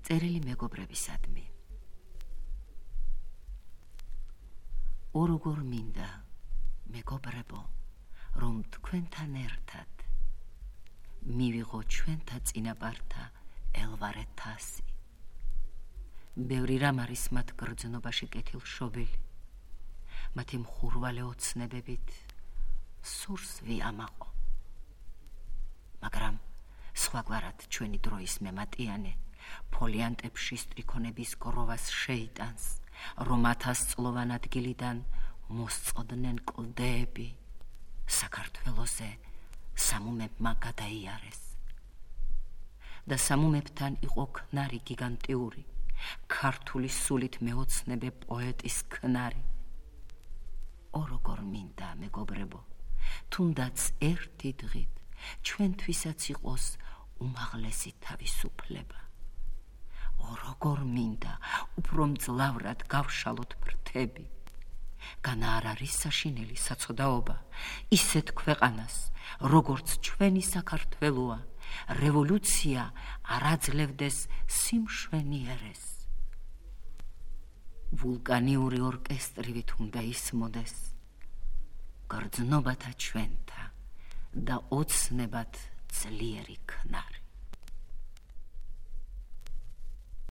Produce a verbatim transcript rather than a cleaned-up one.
წერილი მეგობრებისადმი. O როგორ მინდა, მეგობრებო, რომ თქვენთან ერთად მივიღო ჩვენთა წინაპართა ელვარე თასი. ბევრი რამ არის მათ გრძნობაში კეთილშობილი, მათი მხურვალე ოცნებებით სურს ვიამაყო. მაგრამ სხვაგვარად ჩვენი დროის მემატიანე ფოლიანტებში სტრიქონების გროვას შეიტანს, რომ ათასწლოვან ადგილიდან მოსწყდნენ კლდეები, საქართველოზე სამუმებმა გადაიარეს. და სამუმებთან იყო ქნარი გიგანტიური, ქართული სულით მეოცნებე პოეტის ქნარი. O როგორ მინდა, მეგობრებო, თუნდაც ერთი დღით ჩვენთვისაც იყოს უმაღლესი თავისუფლება. O როგორ მინდა, უფრო მძლავრად გავშალოთ ფრთები. განა არ არის საშინელი საცოდაობა ისეთ ქვეყანას, როგორც ჩვენი საქართველოა, რევოლუცია არ აძლევდეს სიმშვენიერეს. ვულკანიური ორკესტრივით უნდა ისმოდეს გრძნობათა ჩვენთა და ოცნებად ძლიერი ქნარი.